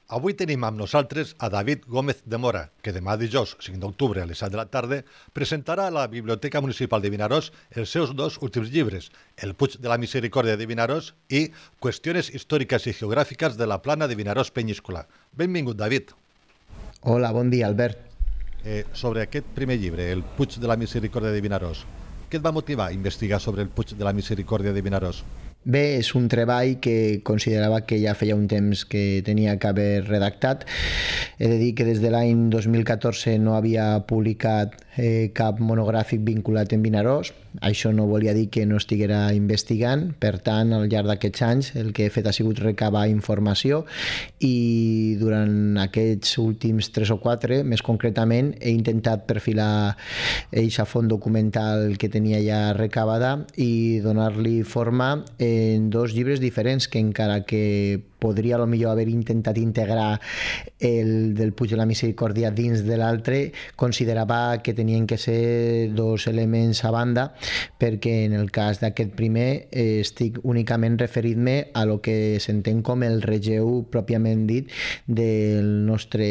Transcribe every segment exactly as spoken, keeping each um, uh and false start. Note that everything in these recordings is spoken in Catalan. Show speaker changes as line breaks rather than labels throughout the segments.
Avui tenim amb nosaltres a David Gómez de Mora, que demà dijous, cinc d'octubre, a les set de la tarda, presentarà a la Biblioteca Municipal de Vinaròs els seus dos últims llibres, El Puig de la Misericòrdia de Vinaròs i Qüestiones històriques i geogràfiques de la plana de Vinaròs Penyíscola. Benvingut, David.
Hola, bon dia, Albert.
Eh, sobre aquest primer llibre, El Puig de la Misericòrdia de Vinaròs, què et va motivar a investigar sobre el Puig de la Misericòrdia de Vinaròs?
Bé, és un treball que considerava que ja feia un temps que tenia que haver redactat. He de dir que des de l'any dos mil catorze no havia publicat eh, cap monogràfic vinculat en Vinaròs. Això no volia dir que no estiguera investigant. Per tant, al llarg d'aquests anys el que he fet ha sigut recabar informació i durant aquests últims tres o quatre, més concretament, he intentat perfilar eixa font documental que tenia ja recabada i donar-li forma en dos llibres diferents que encara que podria potser haver intentat integrar el del Puig de la Misericòrdia dins de l'altre, considerava que tenien que ser dos elements a banda, perquè en el cas d'aquest primer eh, estic únicament referint-me a lo que s'entén com el relleu pròpiament dit del nostre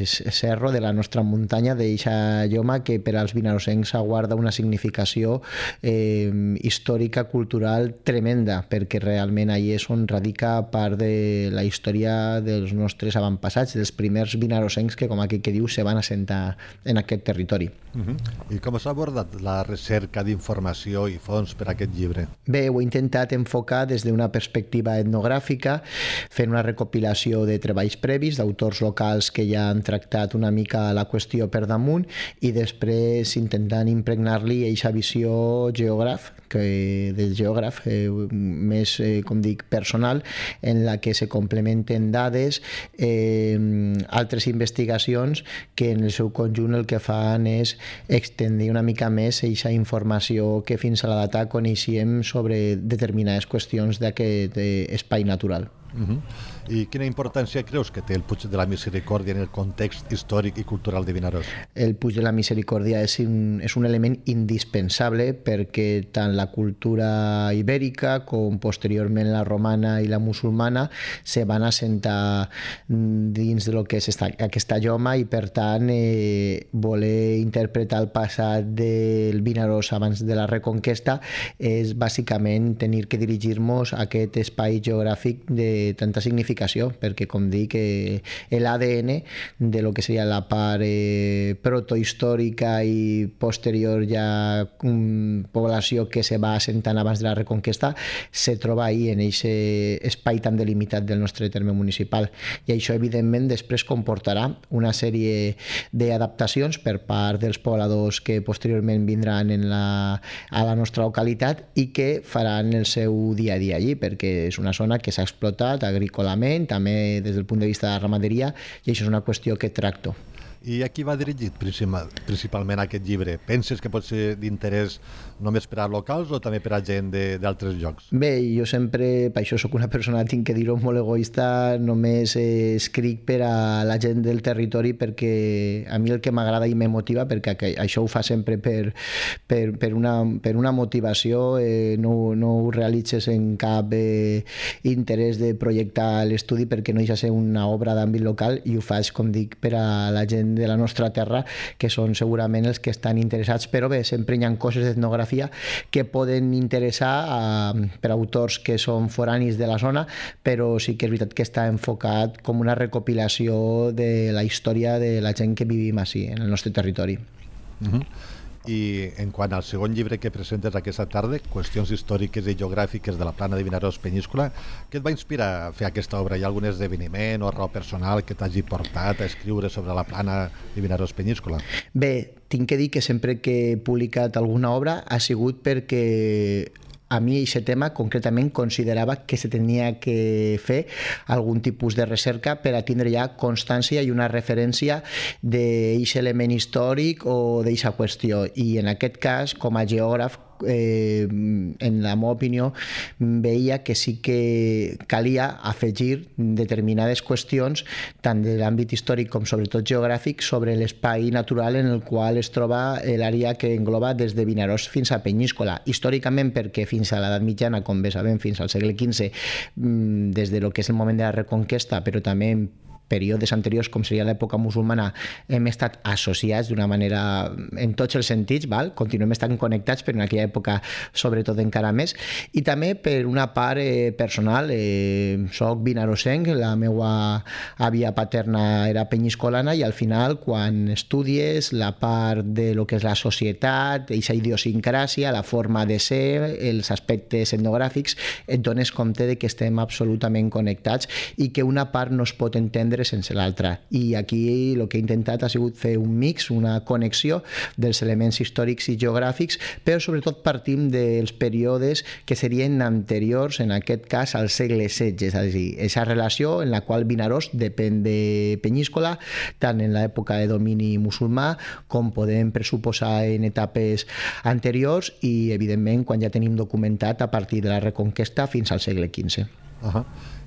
cerro, de la nostra muntanya, d'eixa lloma que per als vinarosencs aguarda una significació eh, històrica, cultural tremenda, perquè realment allí és on radica part de la història dels nostres avantpassats, dels primers vinarosencs que, com aquell que diu, se van assentar en aquest territori.
Uh-huh. I com s'ha abordat la recerca d'informació i fons per a aquest llibre?
Bé, ho he intentat enfocar des d'una perspectiva etnogràfica, fent una recopilació de treballs previs d'autors locals que ja han tractat una mica la qüestió per damunt i després intentant impregnar-li eixa visió geògraf, que del geògraf eh, més, eh, com dic, personal, en la que se complementen dades, eh, altres investigacions que en el seu conjunt el que fan és extendir una mica més aquesta informació que fins a la data coneixíem sobre determinades qüestions d'aquest espai natural.
Uh-huh. I quina importància creus que té el Puig de la Misericòrdia en el context històric i cultural de Vinaròs?
El Puig de la Misericòrdia és un, és un element indispensable perquè tant la cultura ibèrica com posteriorment la romana i la musulmana se van assentar dins de lo que és esta, aquesta lloma i per tant eh, voler interpretar el passat del Vinaròs abans de la Reconquesta és bàsicament tenir que dirigir-nos a aquest espai geogràfic de tanta significació, perquè com dic l'A D N de lo que seria la part eh, protohistòrica i posterior ja um, població que se va assentant abans de la Reconquesta se troba ahí en aquest espai tan delimitat del nostre terme municipal i això evidentment després comportarà una sèrie d'adaptacions per part dels pobladors que posteriorment vindran en la, a la nostra localitat i que faran el seu dia a dia allí, perquè és una zona que s'ha explotat agrícolament, també des del punt de vista de la ramaderia, i això és una qüestió que tracto.
I a qui va dirigit principalment aquest llibre? Penses que pot ser d'interès només per a locals o també per a gent d'altres llocs?
Bé, jo sempre, per això soc una persona, tinc que dir-ho, molt egoista, només eh, escric per a la gent del territori perquè a mi el que m'agrada i me motiva, perquè això ho fa sempre per, per, per, una, per una motivació, eh, no, no ho realitzes en cap eh, interès de projectar l'estudi perquè no deixa ser una obra d'àmbit local i ho faig, com dic, per a la gent de la nostra terra, que són segurament els que estan interessats, però bé, sempre hi ha coses d'etnografia que poden interessar a, per autors que són foranis de la zona, però sí que és veritat que està enfocat com una recopilació de la història de la gent que vivim així, en el nostre territori.
Uh-huh. I en quant al segon llibre que presentes aquesta tarda, Qüestions històriques i geogràfiques de la plana de Vinaròs Penyíscola, què et va inspirar a fer aquesta obra? Hi ha algun esdeveniment o raó personal que t'hagi portat a escriure sobre la plana de Vinaròs Penyíscola?
Bé, tinc que dir que sempre que he publicat alguna obra ha sigut perquè a mi aquest tema concretament considerava que se tenia que fer algun tipus de recerca per a tindre ja constància i una referència d'aquest element històric o d'aquesta qüestió. I en aquest cas, com a geògraf, eh, en la meva opinió, veia que sí que calia afegir determinades qüestions, tant de l'àmbit històric com sobretot geogràfic, sobre l'espai natural en el qual es troba l'àrea que engloba des de Vinaròs fins a Penyíscola. Històricament, perquè fins a l'edat mitjana, com bé sabem, fins al segle quinze, des de lo que és el moment de la Reconquesta, però també períodes anteriors, com seria l'època musulmana, hem estat associats d'una manera, en tots els sentits, val? Continuem estant connectats, però en aquella època sobretot encara més. I també per una part eh, personal, eh, soc vinarosenc, la meva àvia paterna era penyiscolana i al final, quan estudies la part de lo que és la societat, aquesta idiosincràsia, la forma de ser, els aspectes etnogràfics, et dones compte de que estem absolutament connectats i que una part no es pot entendre sense l'altra. I aquí el que he intentat ha sigut fer un mix, una connexió dels elements històrics i geogràfics, però sobretot partim dels períodes que serien anteriors, en aquest cas, al segle setze, és a dir, aquesta relació en la qual Vinaròs depèn de Penyíscola, tant en l'època de domini musulmà com podem pressuposar en etapes anteriors i, evidentment, quan ja tenim documentat a partir de la Reconquesta fins al segle quinze.
Uh-huh.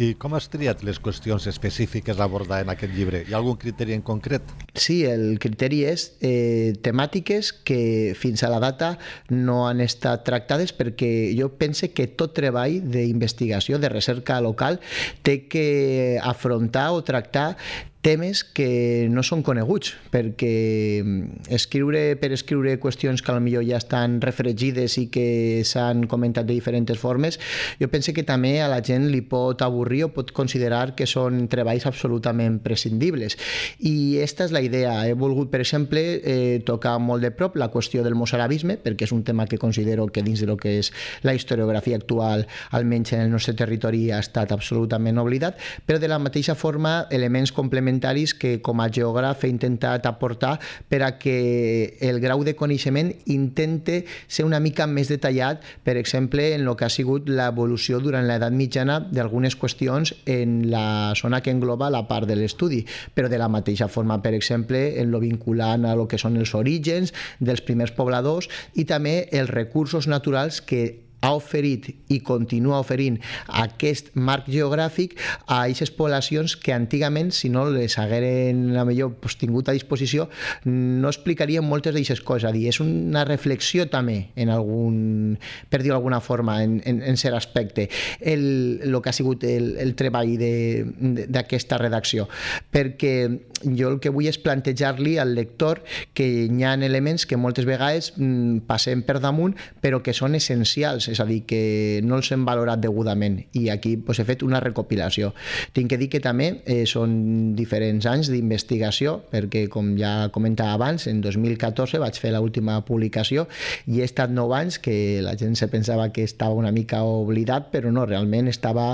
I com has triat les qüestions específiques a abordar en aquest llibre? Hi ha algun criteri en concret?
Sí, el criteri és eh, temàtiques que fins a la data no han estat tractades, perquè jo pense que tot treball d'investigació, de recerca local, té que afrontar o tractar temes que no són coneguts, perquè escriure per escriure qüestions que potser ja estan refregides i que s'han comentat de diferents formes, jo penso que també a la gent li pot avorrir o pot considerar que són treballs absolutament prescindibles. I aquesta és la idea. He volgut, per exemple, eh, tocar molt de prop la qüestió del mozarabisme, perquè és un tema que considero que dins de lo que és la historiografia actual, almenys en el nostre territori, ha estat absolutament oblidat, però de la mateixa forma elements complementaris que com a geògraf he intentat aportar per a que el grau de coneixement intente ser una mica més detallat, per exemple, en el que ha sigut l'evolució durant l'edat mitjana d'algunes qüestions en la zona que engloba la part de l'estudi, però de la mateixa forma, per exemple, en lo vinculant a lo que són els orígens dels primers pobladors i també els recursos naturals que ha oferit i continua oferint aquest marc geogràfic a aquestes poblacions que antigament, si no les hagueren a millor pues, tingut a disposició, no explicarien moltes d'aquestes coses. A dir, és una reflexió també, en algun, per dir-ho d'alguna forma, en, en, en cert aspecte, el, el que ha sigut el, el treball d'aquesta redacció. Perquè jo el que vull és plantejar-li al lector que hi ha elements que moltes vegades mm, passem per damunt, però que són essencials, és a dir, que no els hem valorat degudament, i aquí pues, he fet una recopilació. Tinc que dir que també eh, són diferents anys d'investigació, perquè com ja comentava abans, en dos mil catorze vaig fer l'última publicació i he estat nou anys que la gent se pensava que estava una mica oblidat, però no, realment estava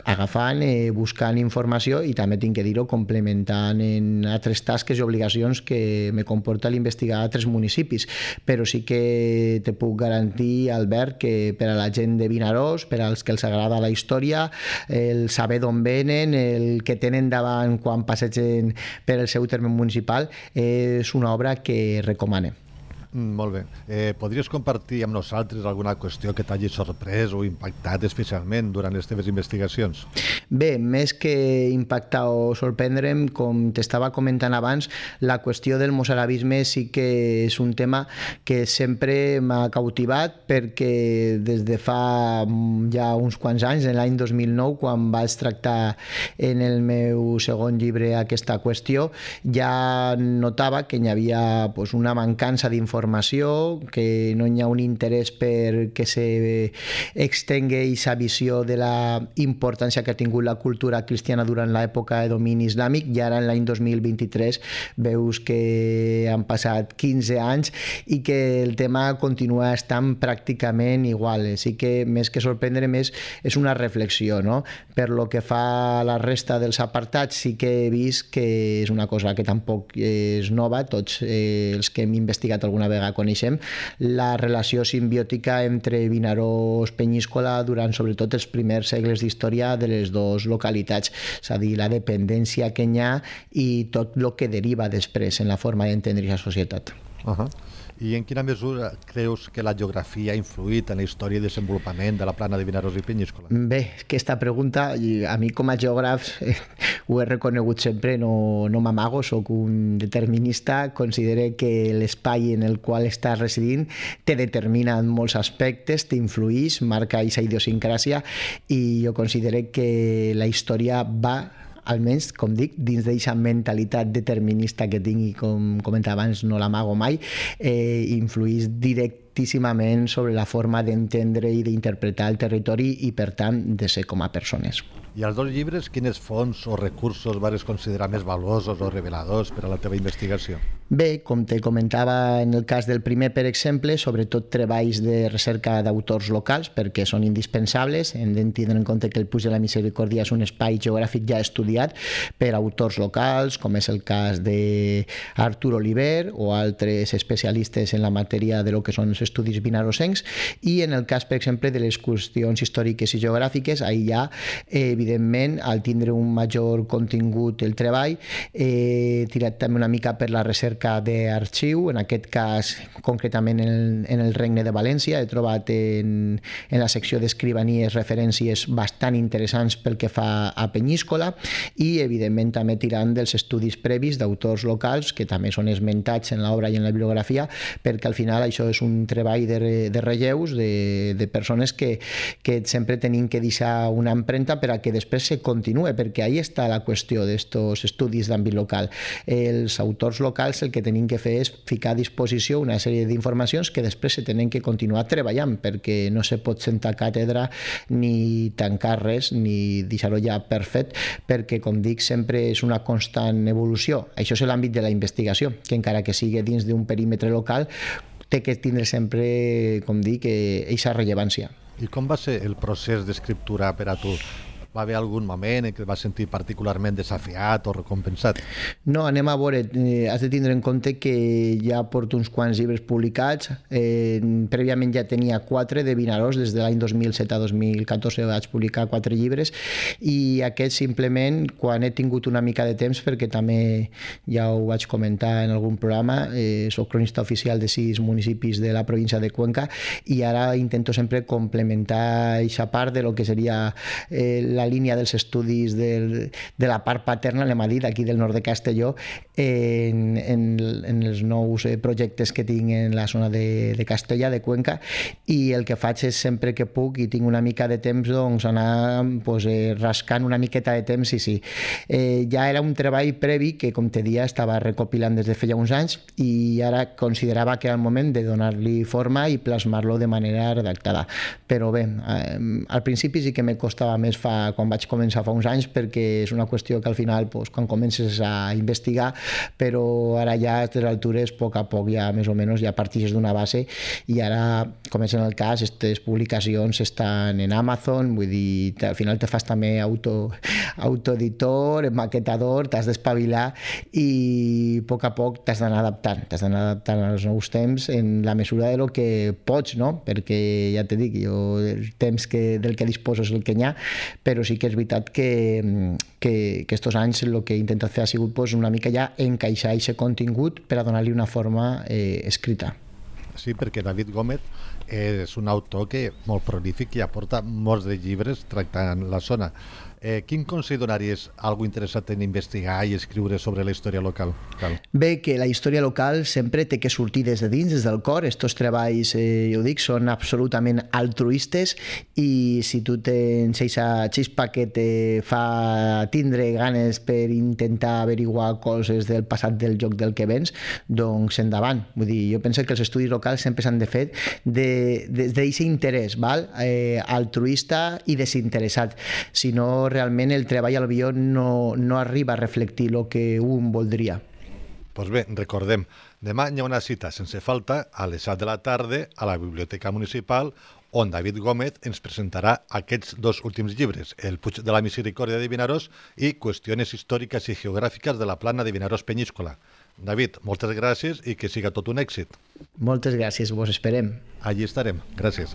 agafant, eh, buscant informació i també tinc que dir-ho, complementant en altres tasques i obligacions que me comporta l'investigar a altres municipis, però sí que te puc garantir, Albert, que per a la gent de Vinaròs, per als que els agrada la història, el saber d'on venen, el que tenen davant quan passegen per el seu terme municipal, és una obra que recomanem.
Mm, molt bé. Eh, podries compartir amb nosaltres alguna qüestió que t'hagi sorprès o impactat especialment durant les teves investigacions?
Bé, més que impactar o sorprendre'm, com t'estava comentant abans, la qüestió del mozarabisme sí que és un tema que sempre m'ha cautivat, perquè des de fa ja uns quants anys, en l'any dos mil nou, quan vaig tractar en el meu segon llibre aquesta qüestió, ja notava que hi havia pues, una mancança d'informació, que no hi ha un interès per que s'extengui aquesta visió de la importància que ha tingut la cultura cristiana durant l'època de domini islàmic, i ara en l'any dos mil vint-i-tres veus que han passat quinze anys i que el tema continua estant pràcticament igual. Sí que més que sorprendre més és una reflexió, no? Per lo que fa a la resta dels apartats sí que he vist que és una cosa que tampoc és nova, tots eh, els que hem investigat alguna vegada coneixem la relació simbiòtica entre Vinaròs i Penyíscola durant sobretot els primers segles d'història de les dues localitats, és a dir, la dependència que hi ha i tot el que deriva després en la forma d'entendre la societat.
Uh-huh. I en quina mesura creus que la geografia ha influït en la història i desenvolupament de la plana de Vinaròs i Penyíscola?
Bé, aquesta pregunta, a mi com a geògraf eh, ho he reconegut sempre, no, no m'amago, soc un determinista, considero que l'espai en el qual estàs residint te determina en molts aspectes, t'influïx, marca aquesta idiosincràsia, i jo considero que la història va almenys, com dic, dins d'aquesta mentalitat determinista que tinc i, com comentava abans, no l'amago mai, eh, influís directíssimament sobre la forma d'entendre i d'interpretar el territori i, per tant, de ser com a persones.
I als dos llibres, quines fonts o recursos vas considerar més valuosos o reveladors per a la teva investigació?
Bé, com te comentava en el cas del primer, per exemple, sobretot treballs de recerca d'autors locals, perquè són indispensables. Hem de tindre en compte que el Puig de la Misericòrdia és un espai geogràfic ja estudiat per autors locals, com és el cas d'Artur Oliver o altres especialistes en la matèria de lo que són els estudis vinarosencs, i en el cas, per exemple, de les qüestions històriques i geogràfiques, ahir ja, eh, evidentment, al tindre un major contingut el treball, he tirat també una mica per la recerca d'arxiu, en aquest cas concretament en el, en el Regne de València. He trobat en, en la secció d'escrivanies referències bastant interessants pel que fa a Penyíscola, i evidentment també tirant dels estudis previs d'autors locals que també són esmentats en l'obra i en la bibliografia, perquè al final això és un treball de, de relleus de, de persones que, que sempre tenim que deixar una empremta per a que després se continue, perquè ahí està la qüestió d'estos estudis d'àmbit local. Els autors locals el que tenim que fer és ficar a disposició una sèrie d'informacions que després se tenen que continuar treballant, perquè no se pot sentar càtedra ni tancar res, ni deixar-ho ja per fet, perquè, com dic, sempre és una constant evolució. Això és l'àmbit de la investigació, que encara que sigui dins d'un perímetre local, té que tindre sempre, com dic, aquesta rellevància.
I com va ser el procés d'escriptura per a tu? Va haver algun moment en què et vas sentir particularment desafiat o recompensat?
No, anem a veure. Eh, has de tindre en compte que ja porto uns quants llibres publicats. Eh, prèviament ja tenia quatre de Vinaròs, des de l'any dos mil set a dos mil catorze vaig publicar quatre llibres, i aquest simplement, quan he tingut una mica de temps, perquè també ja ho vaig comentar en algun programa, eh, soc cronista oficial de sis municipis de la província de Cuenca, i ara intento sempre complementar aquesta part de lo que seria eh, la la línia dels estudis del, de la part paterna, anem a dir, d'aquí del nord de Castelló, en, en, en els nous projectes que tinc en la zona de, de Castella, de Cuenca, i el que faig és sempre que puc i tinc una mica de temps, doncs anar pues, eh, rascant una miqueta de temps, i sí. Eh, ja era un treball previ que, com te dia, estava recopilant des de feia uns anys, i ara considerava que era el moment de donar-li forma i plasmar-lo de manera redactada. Però bé, eh, al principi sí que me costava més fa quan vaig començar fa uns anys, perquè és una qüestió que al final, doncs, quan comences a investigar, però ara ja a les altures, a poc a poc, ja més o menys, ja partixes d'una base, i ara, com és en el cas, aquestes publicacions estan en Amazon, vull dir, al final te fas també auto, autoeditor, maquetador, t'has d'espavilar, i a poc a poc t'has d'anar adaptant, t'has d'anar adaptant als nous temps en la mesura de lo que pots, no? Perquè, ja te dic, jo el temps que, del que disposo és el que n'hi ha, però sí que és veritat que, que, que estos anys el que he intentat fer ha sigut pues, una mica ja encaixar aquest contingut per a donar-li una forma eh, escrita.
Sí, perquè David Gómez és un autor que molt prolífic i aporta molts de llibres tractant la zona. Eh, quin consell donaries a algú interessat en investigar i escriure sobre la història local? Cal.
Bé, que la història local sempre té que sortir des de dins, des del cor. Estos treballs, eh, jo dic, són absolutament altruistes, i si tu tens aquesta xispa que te fa tindre ganes per intentar averiguar coses del passat del joc del que vens, doncs endavant. Vull dir, jo penso que els estudis locals sempre s'han de fer de, des d'aquest interès, val? Eh, altruista i desinteressat. Si no, realment el treball al guió no, no arriba a reflectir el que un voldria.
Doncs pues bé, recordem, demà hi ha una cita sense falta a les set de la tarda a la Biblioteca Municipal, on David Gómez ens presentarà aquests dos últims llibres, El Puig de la Misericòrdia de Vinaròs i Qüestiones històriques i geogràfiques de la plana de Vinaròs-Penyíscola. David, moltes gràcies i que siga tot un èxit.
Moltes gràcies, vos esperem.
Allí estarem. Gràcies.